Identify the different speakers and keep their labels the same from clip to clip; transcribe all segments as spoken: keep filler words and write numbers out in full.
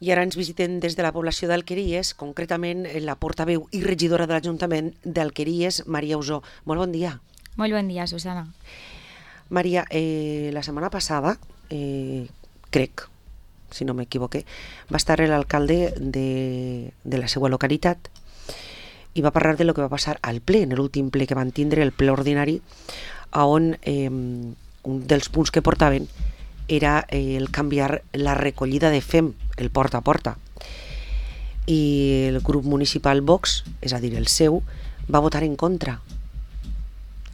Speaker 1: I ara ens visiten des de la població d'Alqueries, concretament la portaveu i regidora de l'Ajuntament d'Alqueries, Maria Usó. Molt bon dia.
Speaker 2: Molt bon dia, Susana.
Speaker 1: Maria, eh, la setmana passada, eh, crec, si no m'equivoqué, va estar l'alcalde de, de la seva localitat i va parlar de lo que va passar al ple, en l'últim ple que van tindre, el ple ordinari, on eh, un dels punts que portaven era eh, el canviar la recollida de F E M, el porta a porta. I el grup municipal Vox, és a dir, el seu, va votar en contra.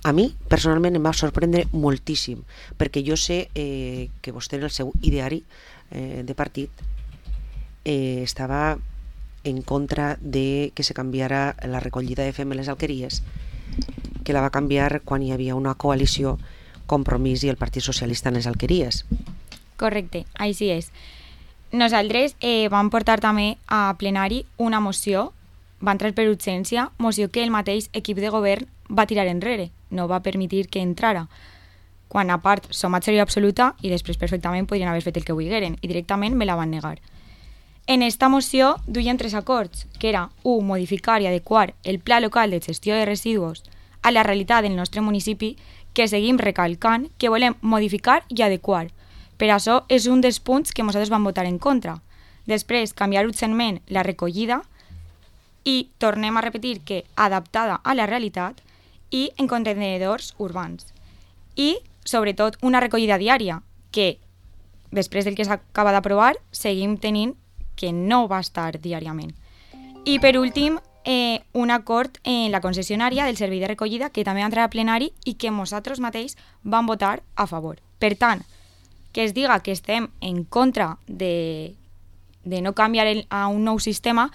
Speaker 1: A mi, personalment, em va sorprendre moltíssim, perquè jo sé eh, que vostè en el seu ideari eh, de partit eh, estava en contra de que se canviara la recollida de F E M en les alqueries, que la va canviar quan hi havia una coalició Compromís i el Partit Socialista en les alqueries.
Speaker 2: Correcte, així és. Nosaltres eh, vam portar també a plenari una moció, va entrar per urgència, moció que el mateix equip de govern va tirar enrere, no va permetir que entrara, quan a part som majoria absoluta i després perfectament podrien haver fet el que volgueren i directament me la van negar. En esta moció duien tres acords, que era u. Modificar i adequar el Pla Local de Gestió de Residus a la realitat del nostre municipi, que seguim recalcant que volem modificar i adequar. Per això és un dels punts que nosaltres vam votar en contra. Després, canviar urgentment la recollida i tornem a repetir que adaptada a la realitat i en contenidors urbans. I, sobretot, una recollida diària, que després del que s'acaba d'aprovar seguim tenint que no va estar diàriament. I per últim, eh, un acord en la concessionària del servei de recollida que també va entrar a plenari i que nosaltres mateix vam votar a favor. Per tant, que es diga que estem en contra de, de no canviar el, a un nou sistema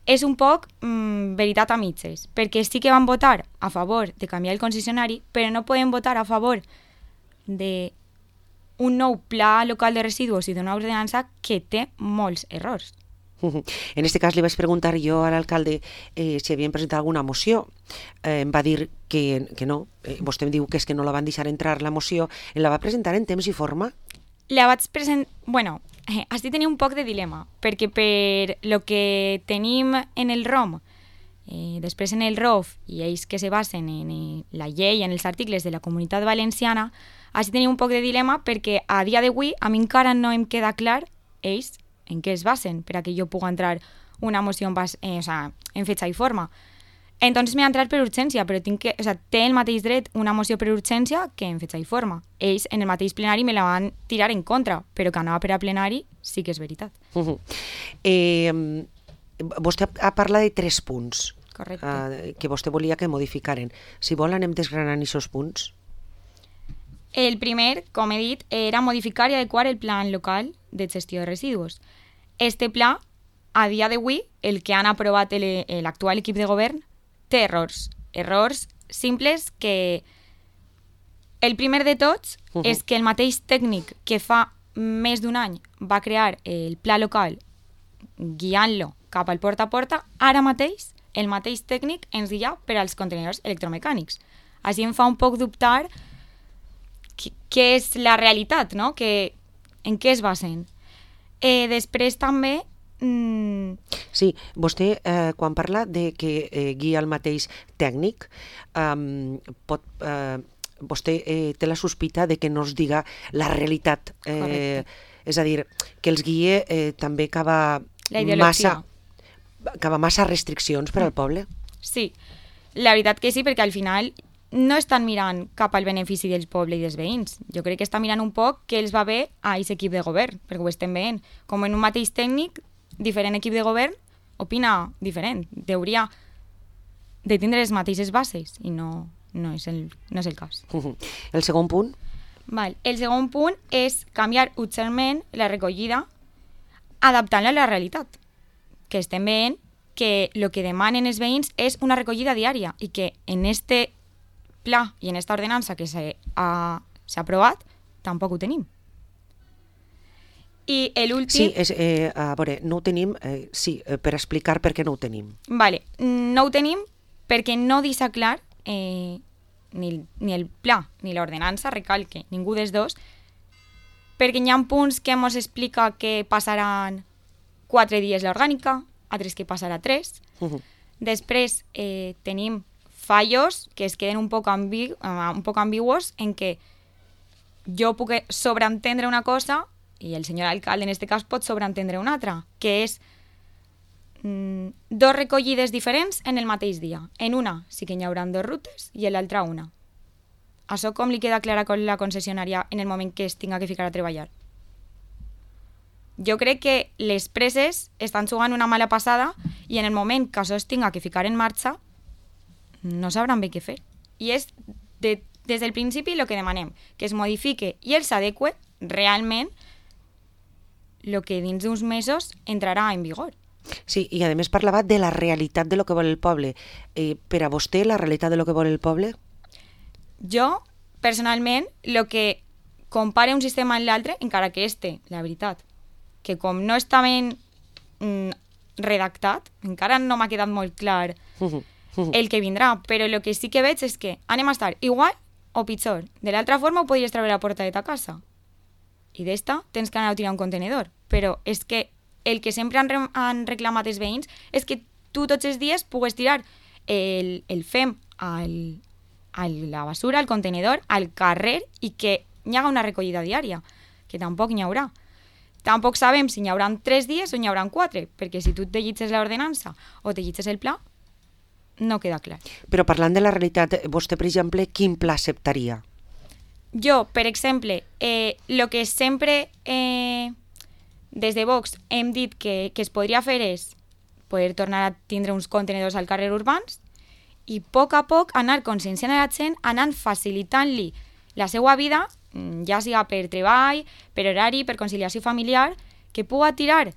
Speaker 2: és un poc mm, veritat a mitges, perquè sí que van votar a favor de canviar el concessionari, però no podem votar a favor d'un nou pla local de residus i d'una ordenança que té molts errors.
Speaker 1: En aquest cas li vaig preguntar jo a l'alcalde eh, si havien presentat alguna moció. Eh, em va dir que, que no. Eh, vostè em diu que és que no la van deixar entrar la moció. La va presentar en temps i forma?
Speaker 2: La vaig presentar... Bueno, eh, així tenia un poc de dilema, perquè per lo que tenim en el ROM, eh, després en el R O F, i ells que se basen en eh, la llei, en els articles de la Comunitat Valenciana, així tenia un poc de dilema perquè a dia d'avui a mi encara no em queda clar ells en què es basen per a que jo pugui entrar una moció en, bas, eh, o sea, en fetge i forma. Entonces m'he entrat per urgència, però tinc que, o sea, té el mateix dret una moció per urgència que en fetge i forma. Ells en el mateix plenari me la van tirar en contra, però que anava per a plenari sí que és veritat.
Speaker 1: Uh -huh. eh, vostè ha parlat de tres punts.
Speaker 2: Correcte.
Speaker 1: Uh, que vostè volia que modificaren. Si vol anem desgranant aquests punts.
Speaker 2: El primer, com he dit, era modificar i adequar el plan local de gestió de residus. Este pla, a dia d'avui, el que han aprovat l'actual equip de govern, té errors. Errors simples que... El primer de tots uh -huh. és que el mateix tècnic que fa més d'un any va crear el pla local guiant-lo cap al porta a porta, ara mateix el mateix tècnic ens guia per als contenidors electromecànics. Així em fa un poc dubtar què és la realitat, no? Que, en què es basen. Eh, després també... Mm...
Speaker 1: Sí, vostè eh, quan parla de que eh, guia el mateix tècnic, eh, pot, eh, vostè eh, té la sospita de que no es diga la realitat. Eh, és a dir, que els guie eh, també cava massa, cava massa restriccions per al poble.
Speaker 2: Sí, la veritat que sí, perquè al final no estan mirant cap al benefici del poble i dels veïns. Jo crec que estan mirant un poc què els va bé a aquest equip de govern, perquè ho estem veient. Com en un mateix tècnic, diferent equip de govern opina diferent. Hauria de tindre les mateixes bases i no, no, és, el, no és el cas.
Speaker 1: El segon punt?
Speaker 2: Val. El segon punt és canviar urgentment la recollida adaptant-la a la realitat. Que estem veient que el que demanen els veïns és una recollida diària i que en este pla i en esta ordenança que s'ha aprovat tampoc ho tenim. I l'últim...
Speaker 1: Sí, és, eh, a veure, no ho tenim, eh, sí, eh, per explicar per què no ho tenim.
Speaker 2: Vale, no ho tenim perquè no deixa clar eh, ni, ni el pla ni l'ordenança, recalque, ningú dels dos, perquè hi ha punts que ens explica que passaran quatre dies l'orgànica, altres que passarà tres.
Speaker 1: Uh-huh.
Speaker 2: Després eh, tenim fallos que es queden un poc, ambi uh, un poc ambiguos en què jo puc sobreentendre una cosa i el senyor alcalde en aquest cas pot sobreentendre una altra, que és mm, dos recollides diferents en el mateix dia. En una sí que hi haurà dos rutes i en l'altra una. Això com li queda clara con la concessionària en el moment que es tinga que ficar a treballar? Jo crec que les preses estan jugant una mala passada i en el moment que això es tinga que ficar en marxa no sabran bé què fer. I és de, des del principi el que demanem, que es modifique i el s'adeque realment el que dins d'uns mesos entrarà en vigor.
Speaker 1: Sí, i a més parlava de la realitat de lo que vol el poble. Eh, per a vostè, la realitat de lo que vol el poble?
Speaker 2: Jo, personalment, el que compare un sistema amb l'altre, encara que este, la veritat, que com no està ben mm, redactat, encara no m'ha quedat molt clar el que vindrà, però el que sí que veig és que anem a estar igual o pitjor. De l'altra forma ho podries treure a la porta de ta casa. I d'esta tens que anar a tirar un contenedor. Però és que el que sempre han, re han reclamat els veïns és que tu tots els dies pugues tirar el, el fem al, a la basura, al contenedor, al carrer i que hi haga una recollida diària, que tampoc n'hi haurà. Tampoc sabem si n'hi haurà tres dies o n'hi haurà quatre, perquè si tu te llitges l'ordenança o te llitges el pla, no queda clar.
Speaker 1: Però parlant de la realitat, vostè, per exemple, quin pla acceptaria?
Speaker 2: Jo, per exemple, eh, lo que sempre eh, des de Vox hem dit que, que es podria fer és poder tornar a tindre uns contenedors al carrer urbans i a poc a poc anar conscienciant a la gent, anant facilitant-li la seva vida, ja siga per treball, per horari, per conciliació familiar, que puga tirar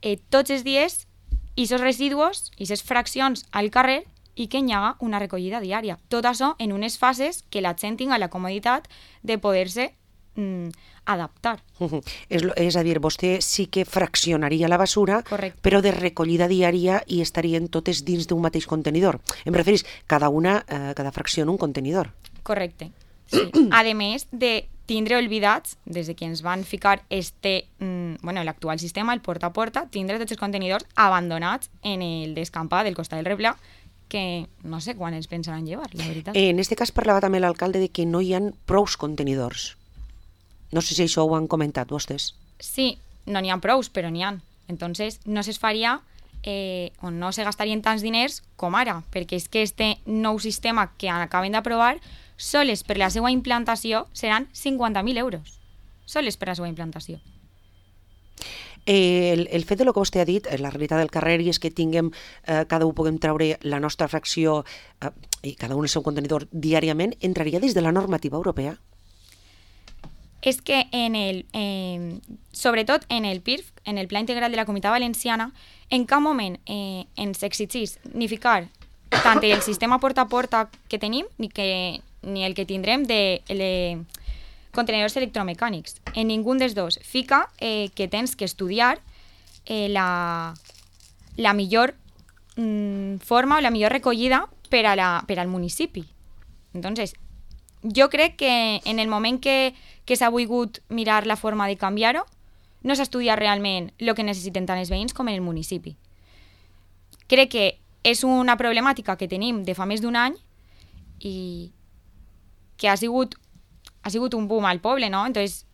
Speaker 2: eh, tots els dies aquests residus, aquestes fraccions al carrer i que hi haga una recollida diària. Tot això en unes fases que la gent tinga la comoditat de poder-se mm, adaptar.
Speaker 1: Uh -huh. és, és a dir, vostè sí que fraccionaria la basura,
Speaker 2: correcte,
Speaker 1: però de recollida diària i estarien totes dins d'un mateix contenidor. Em referís, cada una, eh, cada fracció en un contenidor.
Speaker 2: Correcte. Sí. A més de tindre oblidats, des de que ens van ficar este, mm, bueno, l'actual sistema, el porta a porta, tindre tots els contenidors abandonats en el descampat del costat del replà, que no sé quan els pensaran llevar, la veritat.
Speaker 1: En aquest cas parlava també l'alcalde de que no hi ha prous contenidors. No sé si això ho han comentat vostès.
Speaker 2: Sí, no n'hi ha prous, però n'hi ha. Entonces, no se faria eh, o no se gastarien tants diners com ara, perquè és que este nou sistema que acaben d'aprovar, soles per la seva implantació seran cinquanta mil euros. Soles per la seva implantació.
Speaker 1: Eh, el, el fet de lo que vostè ha dit, la realitat del carrer, i és que tinguem, eh, cada un puguem treure la nostra fracció eh, i cada un el seu contenidor diàriament, entraria dins de la normativa europea?
Speaker 2: És que en el, eh, sobretot en el P I R F, en el Pla Integral de la Comunitat Valenciana, en cap moment eh, ens exigís ni ficar tant el sistema porta a porta que tenim ni, que, ni el que tindrem de... de contenedors electromecànics. En ningú dels dos fica eh, que tens que estudiar eh, la, la millor mm, forma o la millor recollida per, a la, per al municipi. Entonces, jo crec que en el moment que, que s'ha volgut mirar la forma de canviar-ho, no s'ha estudiat realment el que necessiten tant els veïns com en el municipi. Crec que és una problemàtica que tenim de fa més d'un any i que ha sigut ha sigut un boom al poble, no? Entonces,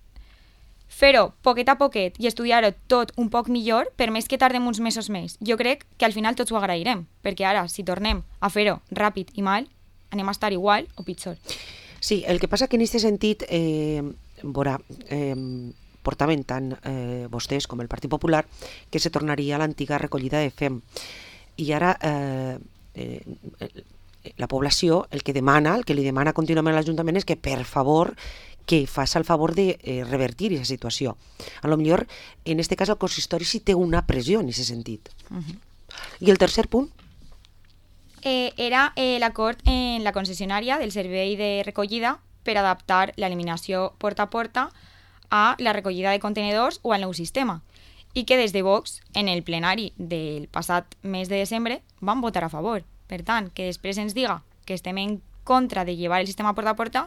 Speaker 2: fer-ho poquet a poquet i estudiar-ho tot un poc millor, per més que tardem uns mesos més, jo crec que al final tots ho agrairem, perquè ara, si tornem a fer-ho ràpid i mal, anem a estar igual o pitjor.
Speaker 1: Sí, el que passa que en aquest sentit, eh, veurà, eh, portaven tant eh, vostès com el Partit Popular que se tornaria a l'antiga recollida de fem. I ara... Eh, eh, la població el que demana, el que li demana contínuament a l'Ajuntament és que, per favor, que faci el favor de eh, revertir aquesta situació. A lo millor, en aquest cas, el consistori sí té una pressió en aquest sentit. Uh-huh. I el tercer punt?
Speaker 2: Eh, era eh, l'acord en la concessionària del servei de recollida per adaptar l'eliminació porta a porta a la recollida de contenidors o al nou sistema. I que des de Vox, en el plenari del passat mes de desembre, van votar a favor. Per tant, que després ens diga que estem en contra de llevar el sistema porta a porta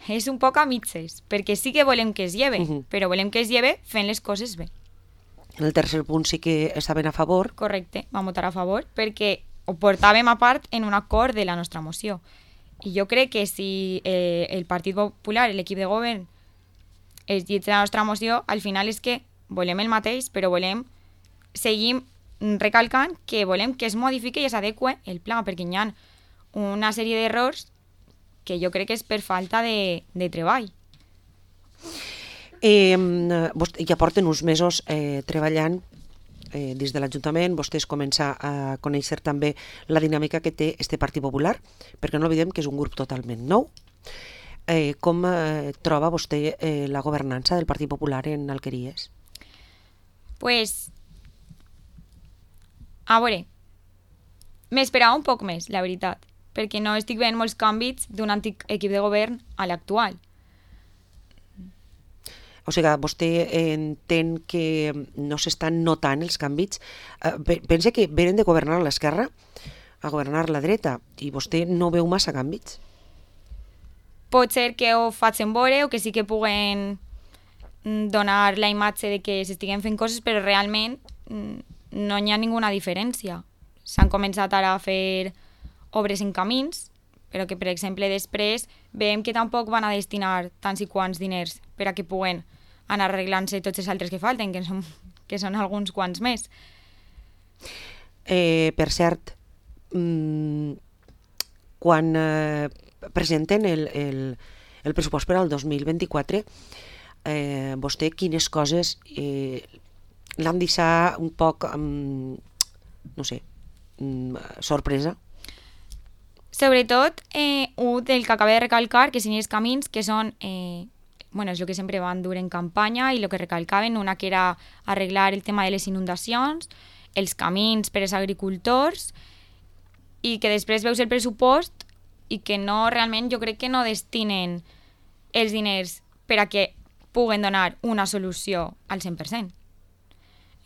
Speaker 2: és un poc a mitges, perquè sí que volem que es lleve, uh-huh. però volem que es lleve fent les coses bé.
Speaker 1: En el tercer punt sí que estaven a favor.
Speaker 2: Correcte, vam votar a favor perquè ho portàvem a part en un acord de la nostra moció. I jo crec que si eh, el Partit Popular, l'equip de govern, es llegeix la nostra moció, al final és que volem el mateix, però volem seguir recalcant que volem que es modifiqui i s'adeqüe el pla, perquè hi ha una sèrie d'errors que jo crec que és per falta de, de treball.
Speaker 1: Eh, ja porten uns mesos eh, treballant eh, des de l'Ajuntament. Vostès comença a conèixer també la dinàmica que té este Partit Popular, perquè no oblidem que és un grup totalment nou. Eh, com eh, troba vostè eh, la governança del Partit Popular en Alqueries?
Speaker 2: Pues, a veure, m'esperava un poc més, la veritat, perquè no estic veient molts canvis d'un antic equip de govern a l'actual.
Speaker 1: O sigui, vostè entén que no s'estan notant els canvis. Pensa que venen de governar a l'esquerra a governar a la dreta i vostè no veu massa canvis?
Speaker 2: Pot ser que ho facin veure o que sí que puguen donar la imatge de que s'estiguen fent coses, però realment no hi ha ninguna diferència. S'han començat ara a fer obres en camins, però que, per exemple, després veiem que tampoc van a destinar tants i quants diners per a que puguen anar arreglant-se tots els altres que falten, que són, que són alguns quants més.
Speaker 1: Eh, per cert, mmm, quan eh, presenten el, el, el pressupost per al dos mil vint-i-quatre, eh, vostè quines coses eh, l'han deixat un poc, um, no sé, um, sorpresa?
Speaker 2: Sobretot, eh, un del que acaba de recalcar, que són els camins, que són, eh, bueno, és el que sempre van dur en campanya i el que recalcaven, una que era arreglar el tema de les inundacions, els camins per als agricultors, i que després veus el pressupost i que no, realment, jo crec que no destinen els diners per a que puguen donar una solució al cent per cent.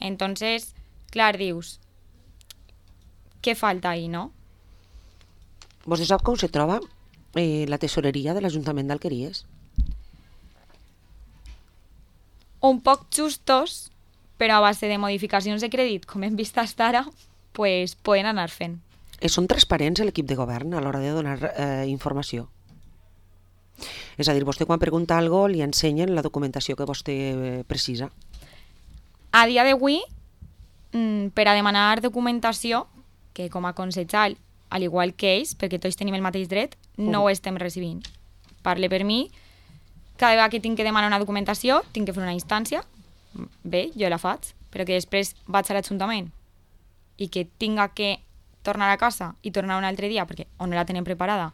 Speaker 2: Entonces, clar, dius, què falta ahí, no?
Speaker 1: Vostè sap com se troba eh, la tesoreria de l'Ajuntament d'Alqueries?
Speaker 2: Un poc justos, però a base de modificacions de crèdit, com hem vist fins ara, pues, poden anar fent.
Speaker 1: Eh, són transparents l'equip de govern a l'hora de donar eh, informació? És a dir, vostè quan pregunta alguna cosa li ensenyen la documentació que vostè eh, precisa?
Speaker 2: A dia d'avui, per a demanar documentació, que com a concejal, al igual que ells, perquè tots tenim el mateix dret, no ho estem recibint. Parle per mi, cada vegada que tinc que demanar una documentació, tinc que fer una instància, bé, jo la faig, però que després vaig a l'Ajuntament i que tinga que tornar a casa i tornar un altre dia perquè o no la tenen preparada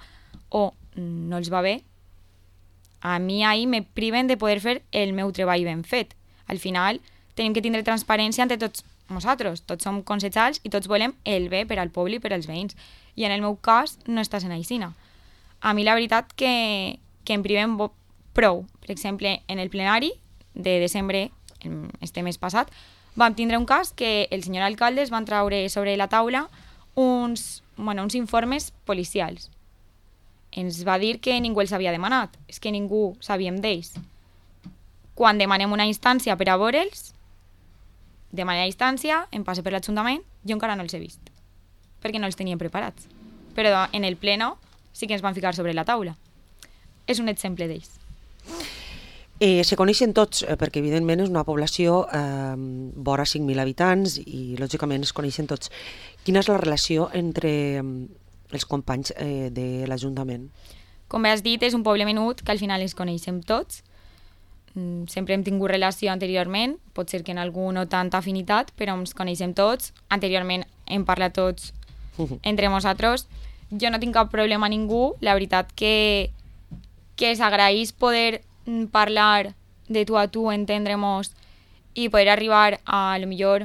Speaker 2: o no els va bé, a mi ahir me priven de poder fer el meu treball ben fet. Al final tenim que tindre transparència entre tots nosaltres, tots som concejals i tots volem el bé per al poble i per als veïns. I en el meu cas no està sent aixina. A mi la veritat que, que em priven prou. Per exemple, en el plenari de desembre, este mes passat, vam tindre un cas que el senyor alcalde es van traure sobre la taula uns, bueno, uns informes policials. Ens va dir que ningú els havia demanat, és que ningú sabíem d'ells. Quan demanem una instància per a veure'ls, demanem la instància, em passe per l'Ajuntament, jo encara no els he vist, perquè no els tenien preparats. Però en el pleno sí que ens van ficar sobre la taula. És un exemple d'ells.
Speaker 1: Eh, se coneixen tots, eh, perquè evidentment és una població eh, vora cinc mil habitants i lògicament es coneixen tots. Quina és la relació entre eh, els companys eh, de l'Ajuntament?
Speaker 2: Com bé has dit, és un poble menut que al final ens coneixem tots. Mm, sempre hem tingut relació anteriorment, pot ser que en algú no tanta afinitat, però ens coneixem tots. Anteriorment hem parlat tots entre nosaltres. Jo no tinc cap problema a ningú, la veritat que, que s'agraeix poder parlar de tu a tu, entendre-nos i poder arribar a, a lo millor,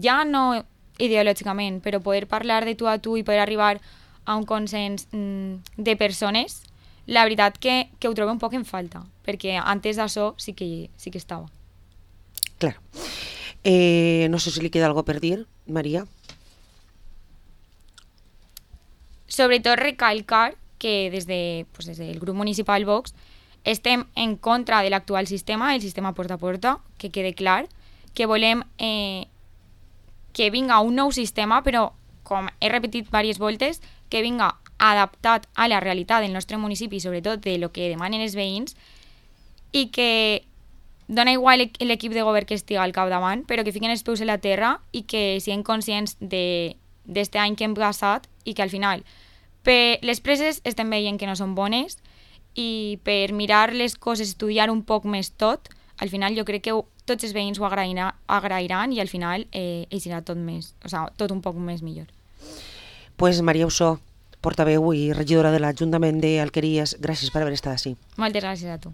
Speaker 2: ja no ideològicament, però poder parlar de tu a tu i poder arribar a un consens de persones, la veritat que, que ho trobo un poc en falta, perquè antes d'això sí que, sí que estava.
Speaker 1: Clar. Eh, no sé si li queda algo per dir, Maria.
Speaker 2: Sobretot recalcar que des, de, pues des del grup municipal Vox estem en contra de l'actual sistema, el sistema porta a porta, que quede clar, que volem eh, que vinga un nou sistema, però, com he repetit diverses voltes, que vinga adaptat a la realitat del nostre municipi, sobretot de lo que demanen els veïns, i que dona igual l'equip de govern que estigui al capdavant, però que fiquen els peus a la terra i que siguin conscients d'aquest any que hem passat i que al final per les preses estem veient que no són bones i per mirar les coses, estudiar un poc més tot, al final jo crec que tots els veïns ho agrairan, agrairan i al final eh, serà tot més, o sigui, tot un poc més millor.
Speaker 1: Pues Maria Ossó, portaveu i regidora de l'Ajuntament d'Alqueries, gràcies per haver estat així.
Speaker 2: Moltes gràcies a tu.